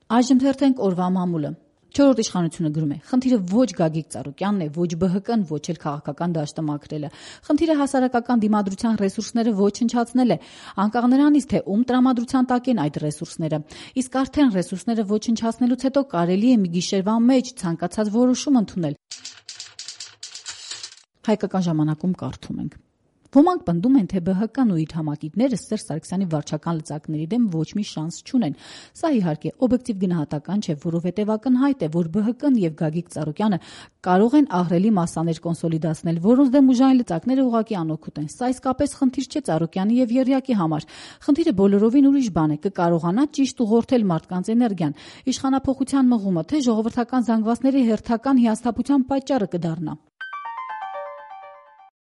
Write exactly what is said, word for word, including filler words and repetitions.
Այժմ թերթենք օրվա մամուլը։ Չորրորդ իշխանությունը գրում է. խնդիրը ոչ Գագիկ Ծառուկյանն է, ոչ Բ Հ Կն, ոչ էլ քաղաքական դաշտը մաքրելը։ Խնդիրը հասարակական դիմադրության ռեսուրսները ոչնչացնել է, անկախ նրանից, թե ում տրամադրության տակ են այդ ռեսուրսները։ Իսկ արդեն ռեսուրսները ոչնչացնելուց հետո կարելի է մի գիշերվա մեջ ցանկացած որոշում ընդունել։ Հայկական ժամանակում կարդում ենք. Ոմանք պնդում են, թե Բ Հ Կն ու իր համակիցները Սերժ Սարգսյանի վարչական լծակների դեմ ոչ մի շանս չունեն։ Սա իհարկե օբյեկտիվ գնահատական չէ, որովհետև ակնհայտ է, որ Բ Հ Կն եւ Գագիկ Ծառուկյանը կարող են ահռելի մասսաներ կոնսոլիդացնել, որոնց դեմ ուժային լծակները ուղղակի անօգուտ են։ Սա իսկապես խնդիր չէ Ծառուկյանի եւ Եռյակի համար։ Խնդիրը բոլորովին ուրիշ բան է՝ կկարողանա ճիշտ ուղղորդել մարդկանց էներգիան։ Իշխանափոխության մղումը, թե ժողովրդական զանգվածների հերթական հիասթափության պատճառը կդառնա։